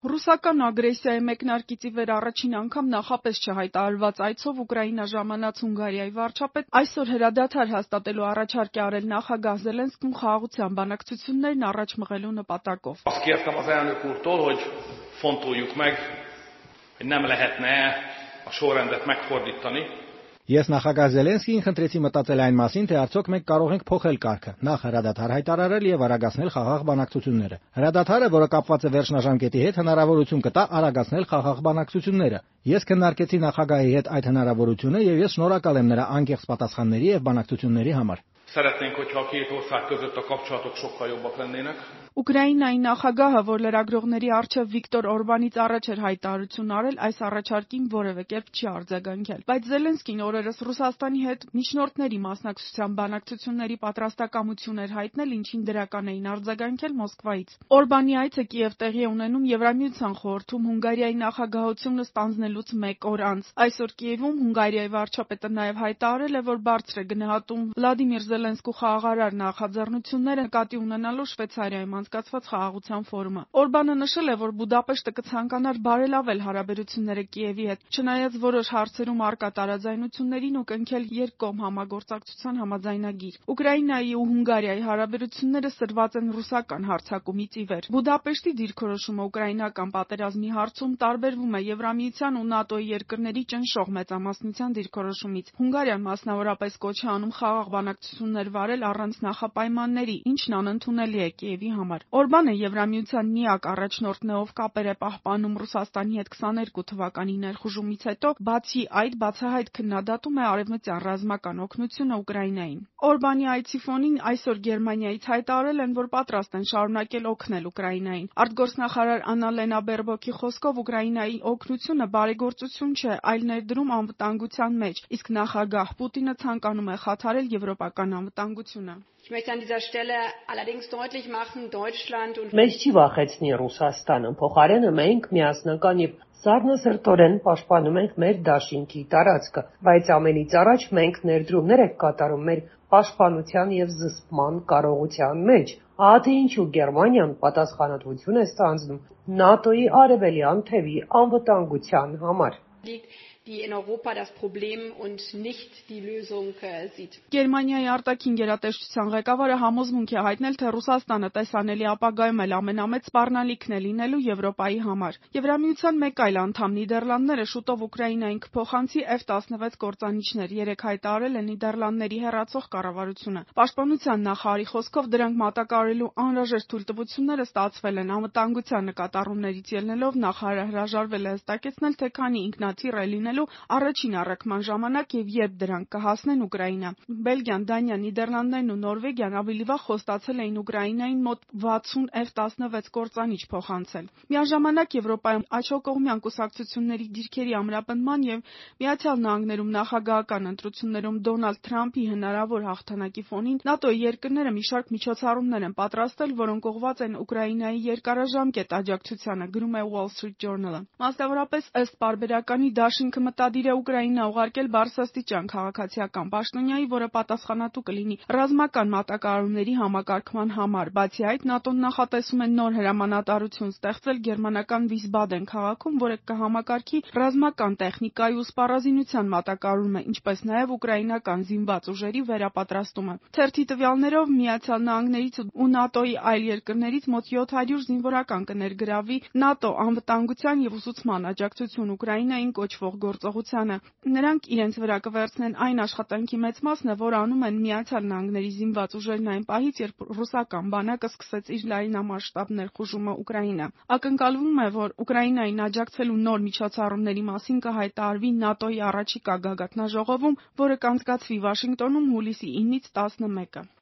Ռուսական ագրեսիայի մեկնարկից ի վեր առաջին անգամ նախապես չհայտարարված այցով Ուկրաինա ժամանած Հունգարիայի վարչապետ այսօր հրադադար հաստատելու առաջարկ է արել նախագահ Զելենսկուն խաղաղության բանակցություններն առաջ մղելու նպատակով։ Azt kértem az elnök úrtól, hogy fontoljuk meg, hogy nem lehetne a sorrendet megfordítani. Ես նախագահ Զելենսկիին խնդրեցի մտածել այն մասին, թե արդյոք մենք կարող ենք փոխել կարգը, նախ հրադադար հայտարարել եւ արագացնել խաղաղ բանակցությունները։ Հրադադարը, որը կապված է վերջնաժամկետի հետ, հնարավորություն կտա արագացնել խաղաղ բանակցությունները։ Ես քննարկեցի նախագահի հետ այդ հնարավորությունը եւ ես շնորհակալ եմ նրա անկեղծ պատասխանների եւ բանակցությունների համար։ Szeretnénk, hogyha a két ország között a kapcsolatok sokkal jobbak lennének. Ուկրաինայի նախագահը, որ լրագրողների առջև Վիկտոր Օրբանից առաջ էր հայտարարություն արել, այս առաջարկին որևէ կերպ չի արձագանքել։ Բայց Զելենսկին օրերս Ռուսաստանի հետ միջնորդների մասնակցության բանակցությունների պատրաստակամություն էր հայտնել, ինչին դրական էին արձագանքել Մոսկվայից։ Օրբանի այցը Կիև տեղի է ունենում Եվրամիության խորհրդում Հունգարիայի նախագահությունը ստանձնելուց մեկ օր անց։ Այսօր Կիևում Հունգարիայի վարչապետը նաև հայտարարել է, որ բարձր է գնահատում Վլադիմիր Զելենսկու խաղաղարար նախաձեռնությունները նկատի ունենալով Շվեյցարիայում անցկացված խաղաղության ֆորումը։ Օրբանը նշել է, որ Բուդապեշտը կցանկանար բարելավել հարաբերությունները Կիևի հետ, չնայած որոշ հարցերում առկա տարաձայնություններին ու կնքել երկկողմ համագործակցության համաձայնագիր։ Ուկրաինայի ու Հունգարիայի հարաբերությունները սրված են ռուսական հարձակումից ի վեր։ Բուդապեշտի դիրքորոշումը ուկրաինական պատերազմի հարցում տարբերվում է Եվրամիության ու ՆԱՏՕ-ի երկրների ճնշող մեծամասնության դիրքորոշումից։ Հունգարիան մասնավորապես կոչ է անում խաղաղ բանակցություններ վարել առանց նախապայմանների, ինչն անընդունելի է Կիևի համար։ Օրբանը Եվրամիության միակ առաջնորդն է, ով կապեր է պահպանում Ռուսաստանի հետ 22 թվականի ներխուժումից հետո, բացի այդ բացահայտ քննադատում է արևմտյան ռազմական օգնությունը Ուկրաինային։ Օրբանի այցի ֆոնին այսօր Գերմանիայից հայտարարել են, որ պատրաստ են շարունակել օգնել Ուկրաինային։ Արտգործնախարար Աննալենա Բերբոկի խոսքով Ուկրաինայի օգնությունը բարեգործություն չէ, այլ ներդրում անվտանգության մեջ, իսկ նախագահ Պուտինը ցանկանում է խաթարել եվրոպական անվտանգությունը։ Ich möchte an dieser Stelle allerdings deutlich machen, Deutschland und Մեզ չի վախեցնի Ռուսաստանը, փոխարենը մենք միասնական եւ սառնասրտորեն պաշտպանում ենք մեր դաշինքի տարածքը, բայց ամենից առաջ մենք ներդրումներ ենք կատարում մեր պաշտպանության եւ զսպման կարողության մեջ։ Ահա թե ինչու Գերմանիան պատասխանատվություն է ստանձնում ՆԱՏՕ-ի արևելյան թևի անվտանգության համար։ die in Europa das Problem und nicht die Lösung sieht. Գերմանիայի արտաքին գերատեսչության ղեկավարը համոզմունք է հայտնել, թե Ռուսաստանը տեսանելի ապագայում էլ ամենամեծ սպառնալիքն է լինելու Եվրոպայի համար։ Եվրամիության մեկ այլ անդամ Նիդերլանդները շուտով Ուկրաինային կփոխանցի F-16 կործանիչներ, երեկ հայտարարել է Նիդերլանդների հեռացող կառավարությունը։ Պաշտպանության նախարարի խոսքով դրանք մատակարարելու անհրաժեշտ թույլտվությունները ստացվել են անվտանգության նկատառումներից ելնելով նախարարը հրաժարվել է հստակեցնել, թե քանի ինքնաթիռ է լինելու առաջին առաքման ժամանակ եւ երբ դրանք կհասնեն Ուկրաինա։ Բելգիան, Դանիան, Նիդերլանդներն ու Նորվեգիան ավելի վաղ խոստացել էին Ուկրաինային մոտ 60 F-16 կործանիչ փոխանցել։ Միաժամանակ Եվրոպայում աջակողմյան կուսակցությունների դիրքերի ամրապնդման եւ Միացյալ Նահանգներում նախագահական ընտրություններում Դոնալդ Թրամփի հնարավոր հաղթանակի ֆոնին ՆԱՏՕ-ի երկրները մի շարք միջոցառումներ են պատրաստել, որոնք ուղղված են Ուկրաինայի երկարաժամկետ աջակցությանը, գրում է Wall Street Journal-ը։ Մասնավորապես ըստ պարբերականի դաշինքը մտադիր է Ուկրաինա ուղարկել բարձրաստիճան քաղաքացիական պաշտոնյայի, որը պատասխանատու կլինի ռազմական մատակարարումների համակարգման համար։ Բացի այդ, ՆԱՏՕ-ն նախատեսում է նոր հրամանատարություն ստեղծել գերմանական Վիսբադեն քաղաքում, որը կհամակարգի ռազմական տեխնիկայի ու սպառազինության մատակարարումը, ինչպես նաև ուկրաինական զինված ուժերի վերապատրաստումը։ Թերթի տվյալներով Միացյալ Նահանգներից ու ՆԱՏՕ-ի այլ երկրներից մոտ 700 զինվորական կներգրավի ՆԱՏՕ անվտանգության եւ ուսուցման աջակցություն Ուկրաինային կոչվող գործողությանը։ Նրանք իրենց վրա կվերցնեն այն աշխատանքի մեծ մասը, որ անում են Միացյալ Նահանգների զինված ուժերն այն պահից, երբ ռուսական բանակը սկսեց իր լայնամասշտաբ ներխուժումը Ուկրաինա։ Ակնկալվում է, որ Ուկրաինային աջակցելու նոր միջոցառումների մասին կհայտարարվի ՆԱՏՕ-ի առաջիկա գագաթնաժողովում, որը կանցկացվի Վաշինգտոնում հուլիսի 9-ից 11-ը։